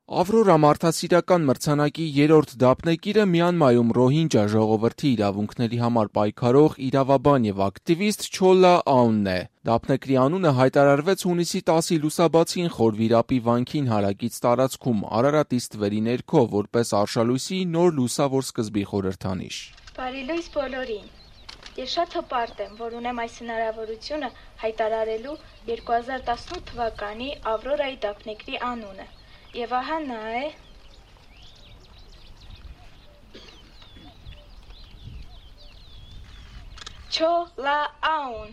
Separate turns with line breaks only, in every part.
Ավրորա մարդասիրական մրցանակի 3-րդ դափնեկիրը Մյանմայում ռոհինջա ժողովրդի իրավունքների համար պայքարող իրավաբան եւ ակտիվիստ Չոլա Աունն է։ Դափնեկրի անունը հայտարարվեց հունիսի 10-ի լուսաբացին Խորվիրապի վանքին հարակից տարածքում Արարատի ստվերի ներքո, որպես արշալույսի նոր լուսավոր սկզբի խորհրդանիշ։
Բարի լույս բոլորին։ Ես շատ հպարտ եմ, որ ունեմ այս հնարավորությունը հայտարարելու 2018 թվականի Ավրորայի դափնեկրի անունը։ Եվ ահա նա է Չոլա Աուն։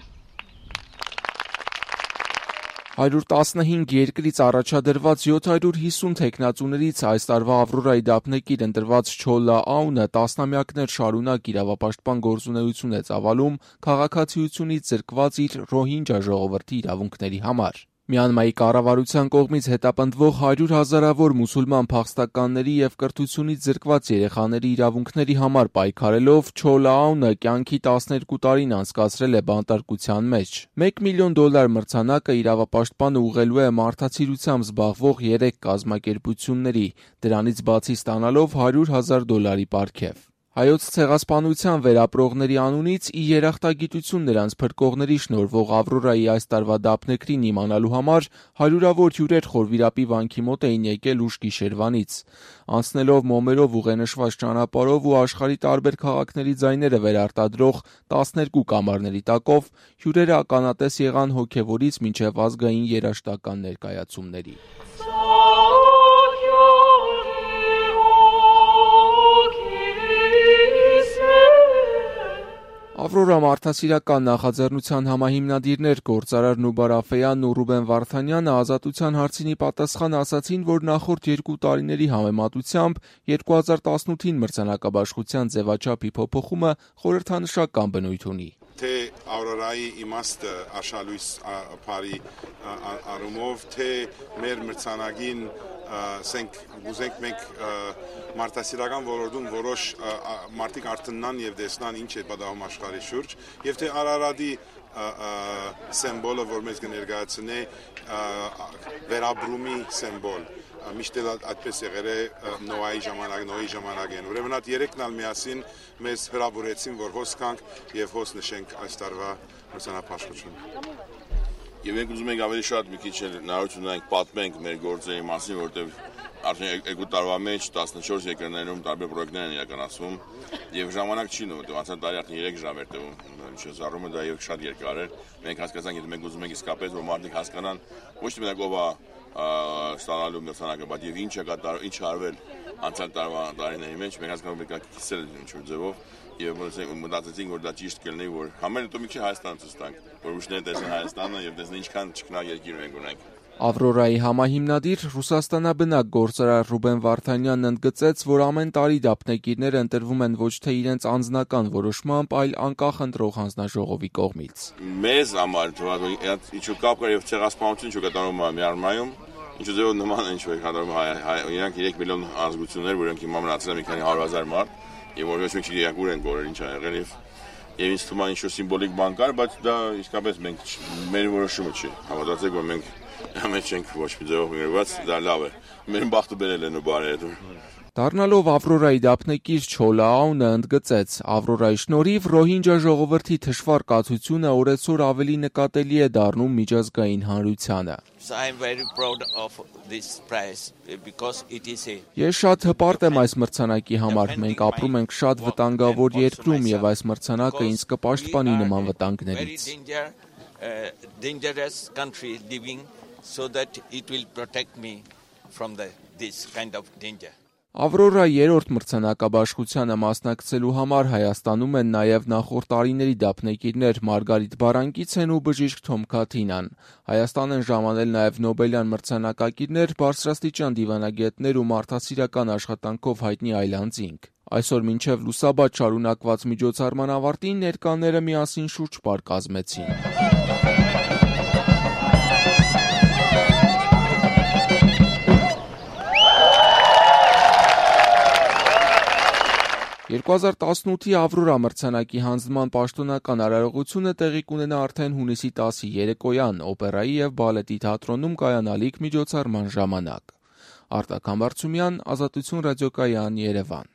115 երկրից առաջադրված 750 թեկնածուներից այս տարվա Ավրորայի դափնեկիր ընտրված Չոլա Աունը տասնամյակներ շարունակ իրավապաշտպան գործունեություն է ծավալում քաղաքացիությունից զրկված իր ռոհինջա ժողովրդի իրավունքների համար։ Մյանմայի կառավարության կողմից հետապնդվող 100,000-ավոր մուսուլման փախստականների եւ կրթությունից զրկված երեխաների իրավունքների համար պայքարելով Չոլա Աունը կյանքի 12 տարին անցկացրել է բանտարկության մեջ։ $1 միլիոն մրցանակը իրավապաշտպանը ուղղելու է մարդացիրությամբ զբաղվող 3 կազմակերպությունների, դրանից բացի ստանալով $100,000 պարգև։ Հայոց ցեղասպանության վերապրողների անունից ի երախտագիտություն նրանց փրկողների շնորհվող Ավրորայի այս տարվա դափնեկրին իմանալու համար հարյուրավոր հյուրեր Խորվիրապի վանքի մոտ էին եկել ուշ գիշերվանից։ Անցնելով մոմերով ուղենշված ճանապարհով ու աշխարհի տարբեր քաղաքների ձայները վերարտադրող 12 կամարների տակով հյուրերը ականատես եղան հոգևորից մինչև ազգային երաժշտական ներկայացումների։ Ավրորա մարդասիրական նախաձեռնության համահիմնադիրներ գործարար Նուբար Աֆեյանն ու Ռուբեն Վարդանյանը ազատության հարցինի պատասխան ասացին, որ նախորդ 2 տարիների համեմատությամբ 2018-ին մրցանակաբաշխության ձևաչափի փոփոխումը խորհրդանշական բնույթ ունի։
Թե Ավրորայի իմաստը արշալույս բարի առումով, թե մեր մրցանակին ուզենք մենք մարդասիրական ոլորտում որոշ մարդիկ արթնան եւ տեսնան ինչ է պատահում աշխարհի շուրջ, եւ թե Արարատի սիմվոլը, որ մեզ կներկայացնի վերաբրումի սիմվոլ, միշտ այդպես եղել է նոյի ժամանակին։ Ուրեմն այդ երեքն ալ միասին մեզ հրավիրեցին, որ հոս կանք եւ հոս նշենք այս տարվա մրցանակաբաշխությունը։
Եվ մենք ուզում ենք ավելի շատ մի քիչ հնարավորություն ունենք պատմենք մեր գործերի մասին, որտեղ արդեն 2 տարվա մեջ 14 երկրներում տարբեր պրոյեկտներ են իրականացվում եւ ժամանակ չի նույն, անցած տարի արդեն 3 ժամ էր տևում, զառումը դա եւ շատ երկար էր։ Մենք հասկացանք, եթե մենք ուզում ենք իսկապես որ մարդիկ հասկանան ոչ թե մենակ ով է ստանալու մրցանակը, բայց եւ ինչ է կատարվել, ինչ արվել անցած տարվա տարիների մեջ, մենք հասկանում ենք կիսել ինչ-որ ձևով եւ մտածեցինք, որ դա ճիշտ կլինի, որ համեն դեպքում մի քիչ Հայաստանը ցույց տանք, որ ուշները տեսնեն Հայաստանը եւ տեսնեն ինչքան ճկնա երկիր մենք ունենք։
Ավրորայի համահիմնադիր Ռուսաստանաբնակ գործարար Ռուբեն Վարդանյանն ընդգծեց, որ ամեն տարի դափնեկիրները ընտրվում են ոչ թե իրենց անձնական որոշմամբ, այլ անկախ ընտրող հանձնաժողովի կողմից։
Մեզ համար ինչու կապ կար եւ ցեղասպանություն ինչու կատարվում է Մյանմարում, ինչու ձեւ նման ինչ որ կատարվում է իրանք 3 միլիոն ազգություններ, որոնք հիմա մնացել են մի քանի 100,000 մարդ, եւ որ ոչ մի իրական են գորել ինչ ա եղել եւ ինձ թվում է ինչ-որ սիմվոլիկ բան կար, բայց դա իսկապես մենք մեր որոշումը չի։ Հավատացեք, որ մենք Ամեն չենք ոչ մի ձևով գրված, դա լավ է։ Մեր բախտը բերել են ու բարերը։
Դառնալով Ավրորայի դափնեկիր Չոլա Աունը ընդգծեց, Ավրորայի շնորհիվ ռոհինջա ժողովրդի թշվառ կացությունը օրեցօր ավելի նկատելի է դառնում միջազգային հանրությանը։ Ես շատ հպարտ եմ այս մրցանակի համար, մենք ապրում ենք շատ վտանգավոր երկրում եւ այս մրցանակը ինձ կպաշտպանի նման վտանգներից։
So that it will protect me from this kind of danger.
Ավրորա 3-րդ մրցանակաբաշխությանը մասնակցելու համար Հայաստանում են նաև նախորդ տարիների դափնեկիրներ Մարգարիտ Բարանկիցեն ու բժիշկ Թոմ Քաթինան։ Հայաստան են ժամանել նաև Նոբելյան մրցանակակիրներ, բարձրաստիճան դիվանագետներ ու մարդասիրական աշխատանքով հայտնի այլանդզինք։ Այսօր մինչև լուսաբաց շարունակված միջոցառման ավարտին ներկաները միասին շուրջ պար կազմեցին։ 2018-ի Ավրորա մրցանակի հանձնման պաշտոնական արարողությունը տեղի կունենա արդեն հունիսի 10-ի երեկոյան օպերայի եւ բալետի թատրոնում կայանալիք միջոցառման ժամանակ։ Արտակ Համբարձումյան, Ազատություն ռադիոկայան, Երևան։